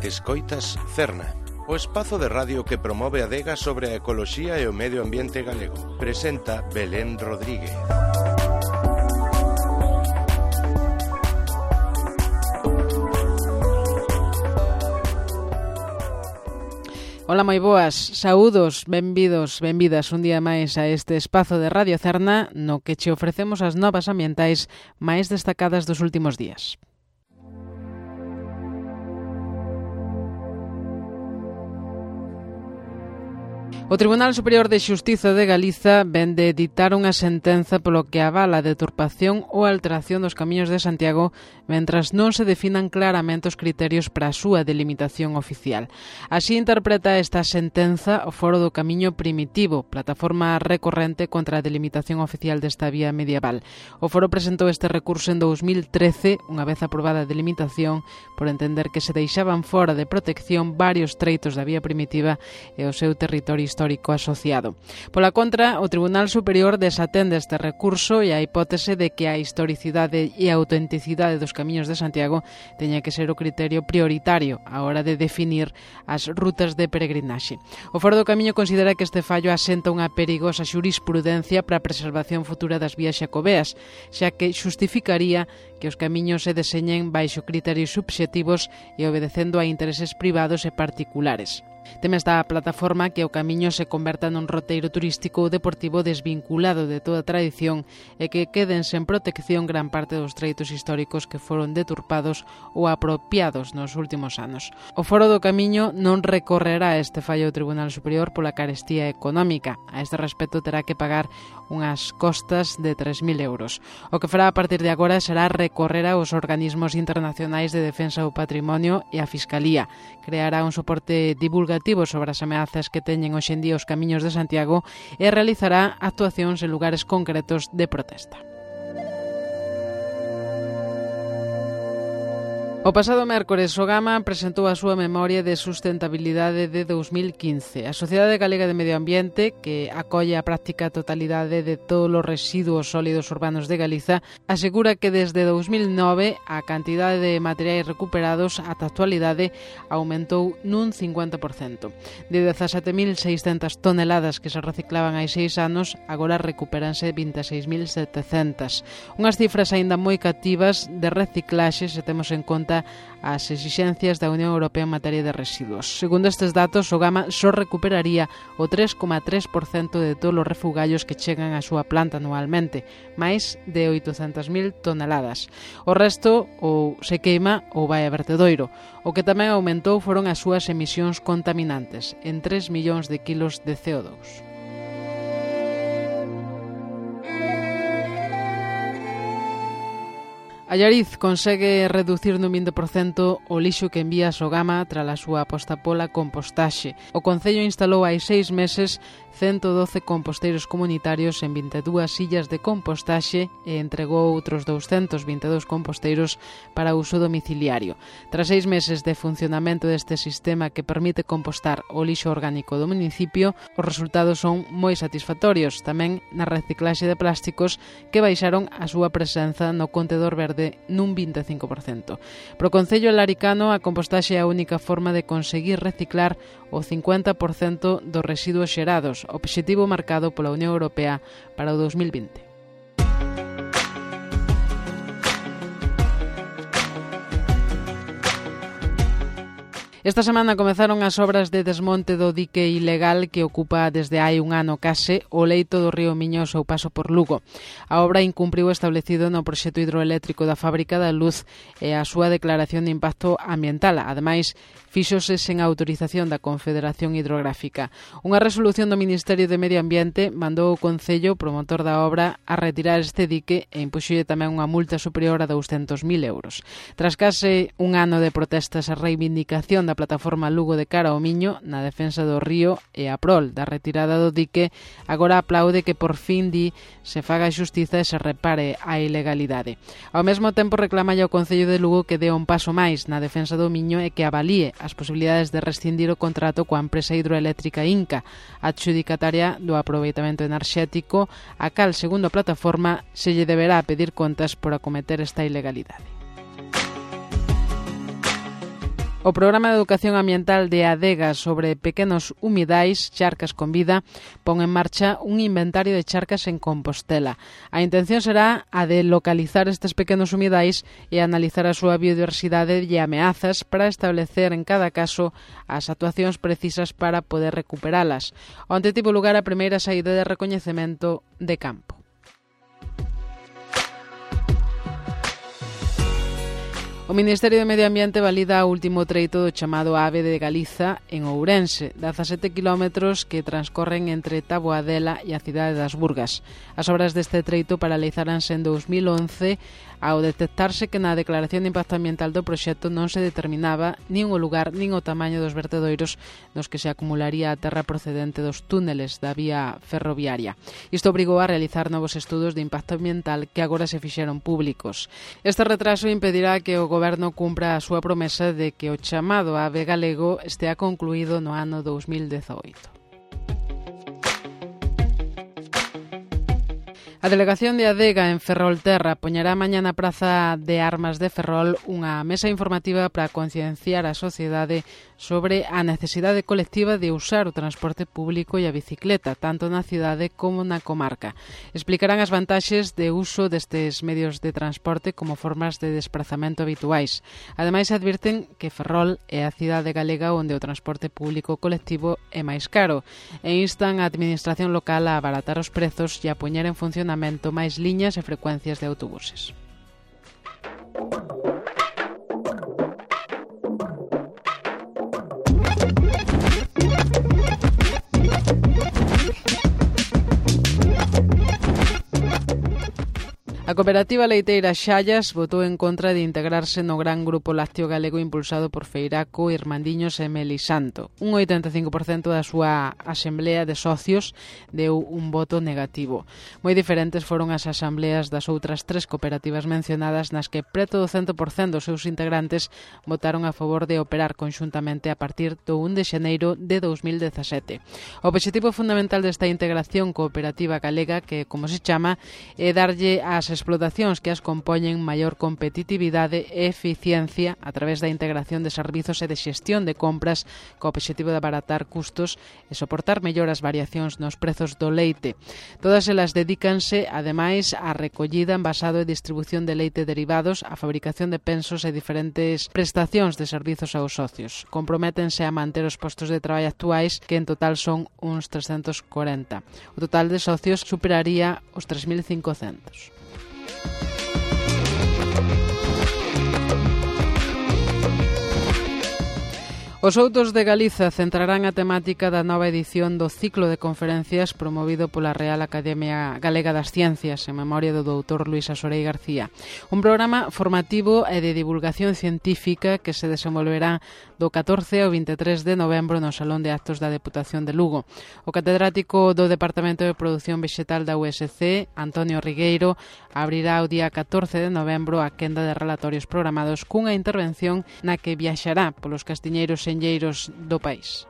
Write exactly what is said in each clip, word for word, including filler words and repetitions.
Escoitas Cerna, o espazo de radio que promove a adega sobre a ecoloxía e o medio ambiente galego. Presenta Belén Rodríguez. Ola, moi boas, saúdos, benvidos, benvidas un día máis a este espazo de Radio Cerna no que che ofrecemos as novas ambientais máis destacadas dos últimos días. O Tribunal Superior de Xustiza de Galiza ven de ditar unha sentenza polo que avala a deturpación ou alteración dos camiños de Santiago mentras non se definan claramente os criterios para a súa delimitación oficial. Así interpreta esta sentenza o Foro do Camiño Primitivo, plataforma recorrente contra a delimitación oficial desta vía medieval. O Foro presentou este recurso en dous mil trece, unha vez aprobada a delimitación, por entender que se deixaban fora de protección varios treitos da vía primitiva e o seu territorio histórico histórico asociado. Pola contra, o Tribunal Superior desatende este recurso e a hipótese de que a historicidade e a autenticidade dos camiños de Santiago teña que ser o criterio prioritario á hora de definir as rutas de peregrinaxe. O Foro do Camiño considera que este fallo asenta unha perigosa xurisprudencia para a preservación futura das vías xacobeas, xa que xustificaría que os camiños se deseñen baixo criterios subxectivos e obedecendo a intereses privados e particulares. Teme esta plataforma que o camiño se converta nun roteiro turístico ou deportivo desvinculado de toda tradición e que queden sen protección gran parte dos treitos históricos que foron deturpados ou apropiados nos últimos anos. O Foro do Camiño non recorrerá este fallo do Tribunal Superior pola carestía económica. A este respecto terá que pagar unhas costas de tres mil euros. O que fará a partir de agora será recorrer aos organismos internacionais de defensa do patrimonio e a Fiscalía. Creará un soporte divulgativo sobre as ameazas que teñen hoxe en día os camiños de Santiago e realizará actuacións en lugares concretos de protesta. O pasado mércores, o Gama presentou a súa memoria de sustentabilidade de dous mil quince. A Sociedade Galega de Medio Ambiente, que acolle a práctica totalidade de todos os residuos sólidos urbanos de Galiza, asegura que desde dous mil nove a cantidade de materiais recuperados ata a actualidade aumentou nun cincuenta por cento. De dezasete mil seiscentas toneladas que se reciclaban hai seis anos, agora recupéranse vinte e seis mil setecentas. Unhas cifras aínda moi cativas de reciclaxe se temos en conta as exixencias da Unión Europea en materia de residuos. Segundo estes datos, o Gama só recuperaría o tres coma tres por cento de todos os refugallos que chegan á súa planta anualmente, máis de oitocentas mil toneladas. O resto ou se queima ou vai a vertedoiro. O que tamén aumentou foron as súas emisións contaminantes, en tres millóns de kilos de C O dous. Allariz consegue reducir nun vinte por cento o lixo que envía ao Gama tras a súa aposta pola compostaxe. O Concello instalou hai seis meses ciento doce composteiros comunitarios en vinte e dúas illas de compostaxe e entregou outros douscentos vinte e dous composteiros para uso domiciliario. Tras seis meses de funcionamento deste sistema que permite compostar o lixo orgánico do municipio, os resultados son moi satisfactorios, tamén na reciclaxe de plásticos que baixaron a súa presenza no contedor verde nun vinte e cinco por cento. Pro Concello Laricano, a compostaxe é a única forma de conseguir reciclar o cincuenta por cento dos residuos xerados, obxectivo marcado pola Unión Europea para o dous mil vinte. Esta semana comezaron as obras de desmonte do dique ilegal que ocupa desde hai un ano case o leito do río Miño ao seu paso por Lugo. A obra incumpriu o establecido no proxecto hidroeléctrico da Fábrica da Luz e a súa declaración de impacto ambiental. Ademais, fíxose sen autorización da Confederación Hidrográfica. Unha resolución do Ministerio de Medio Ambiente mandou o Concello, promotor da obra, a retirar este dique e impuxolle tamén unha multa superior a douscentos mil euros. Tras case un ano de protestas e reivindicación da plataforma Lugo de cara ao Miño na defensa do río e a prol da retirada do dique, agora aplaude que por fin di se faga xustiza e se repare a ilegalidade. Ao mesmo tempo reclama ao Concello de Lugo que dé un paso máis na defensa do Miño e que avalíe as posibilidades de rescindir o contrato coa empresa hidroeléctrica Inca, adxudicataria do aproveitamento enerxético, a cal, segundo a plataforma, se lle deberá pedir contas por acometer esta ilegalidade. O O Programa de Educación Ambiental de Adega sobre pequenos humidais, charcas con vida, pon en marcha un inventario de charcas en Compostela. A intención será a de localizar estes pequenos humidais e analizar a súa biodiversidade e ameazas para establecer en cada caso as actuacións precisas para poder recuperalas. Onte tivo lugar a primeira saída de recoñecemento de campo. O Ministerio de Medio Ambiente valida o último treito do chamado Ave de Galiza en Ourense, dezasete kilómetros que transcorren entre Taboadela e a cidade das Burgas. As obras deste treito paralizaranse en dous mil once ao detectarse que na declaración de impacto ambiental do proxecto non se determinaba nin o lugar nin o tamaño dos vertedoiros nos que se acumularía a terra procedente dos túneles da vía ferroviaria. Isto obrigou a realizar novos estudos de impacto ambiental que agora se fixeron públicos. Este retraso impedirá que o Goberno cumpra a súa promesa de que o chamado Ave galego estea concluído no ano dous mil dezaoito. A Delegación de Adega en Ferrolterra poñerá mañá na Praza de Armas de Ferrol unha mesa informativa para concienciar a sociedade sobre a necesidade colectiva de usar o transporte público e a bicicleta, tanto na cidade como na comarca. Explicarán as vantaxes de uso destes medios de transporte como formas de desplazamento habituais. Ademais, advirten que Ferrol é a cidade galega onde o transporte público colectivo é máis caro e instan a administración local a abaratar os prezos e a poñer en funcionamento máis liñas e frecuencias de autobuses. A cooperativa leiteira Xallas votou en contra de integrarse no gran grupo lácteo galego impulsado por Feiraco, Irmandiños e Melisanto. Un oitenta e cinco por cento da súa asemblea de socios deu un voto negativo. Moi diferentes foron as asambleas das outras tres cooperativas mencionadas nas que preto do cento por cento dos seus integrantes votaron a favor de operar conxuntamente a partir do un de xaneiro de dous mil dezasete. O obxectivo fundamental desta integración cooperativa galega, que como se chama, é darlle ás explotacións que as compoñen maior competitividade e eficiencia a través da integración de servizos e de xestión de compras co obxectivo de abaratar custos e soportar mellor as variacións nos prezos do leite. Todas elas dedícanse, ademais, á recollida, envasado e distribución de leite derivados, a fabricación de pensos e diferentes prestacións de servizos aos socios. Comprométense a manter os postos de traballo actuais, que en total son uns trescentos corenta. O total de socios superaría os tres mil cincocentos. Os Outos de Galiza centrarán a temática da nova edición do ciclo de conferencias promovido pola Real Academia Galega das Ciencias en memoria do doutor Luís Asorei García. Un programa formativo e de divulgación científica que se desenvolverá do catorce ao vinte e tres de novembro no Salón de Actos da Deputación de Lugo. O catedrático do Departamento de Produción Vexetal da U S C, Antonio Rigueiro, abrirá o día catorce de novembro a quenda de relatorios programados cunha intervención na que viaxará polos castiñeiros senlleiros do país.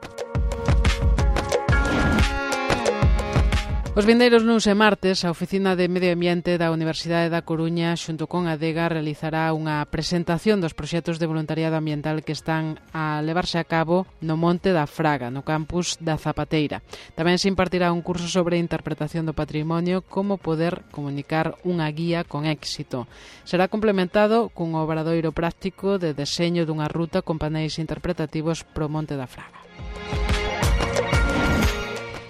Os vindeiros luns e martes, a Oficina de Medio Ambiente da Universidade da Coruña xunto con Adega realizará unha presentación dos proxectos de voluntariado ambiental que están a levarse a cabo no Monte da Fraga, no campus da Zapateira. Tamén se impartirá un curso sobre interpretación do patrimonio, como poder comunicar unha guía con éxito. Será complementado cun obradoiro práctico de deseño dunha ruta con paneis interpretativos pro Monte da Fraga.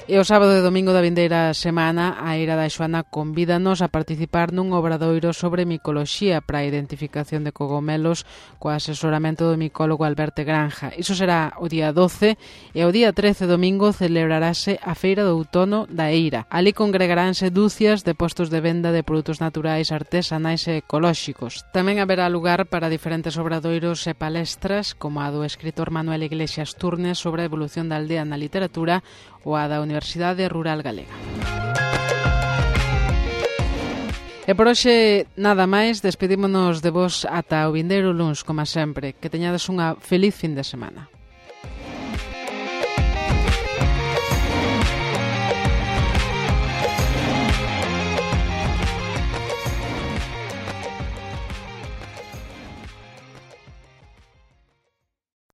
E o sábado e domingo da vindeira semana, a Eira da Xoana convídanos a participar nun obradoiro sobre micoloxía para a identificación de cogomelos co asesoramento do micólogo Alberto Granja. Iso será o día doce e o día trece domingo celebrarase a Feira do Outono da Eira. Ali congregaránse dúcias de postos de venda de produtos naturais, artesanais e ecolóxicos. Tamén haberá lugar para diferentes obradoiros e palestras, como a do escritor Manuel Iglesias Turnes sobre a evolución da aldea na literatura ou a da Universidade Rural Galega. E por hoxe nada máis, despedímonos de vos ata o vindeiro luns, como sempre. Que teñades unha feliz fin de semana.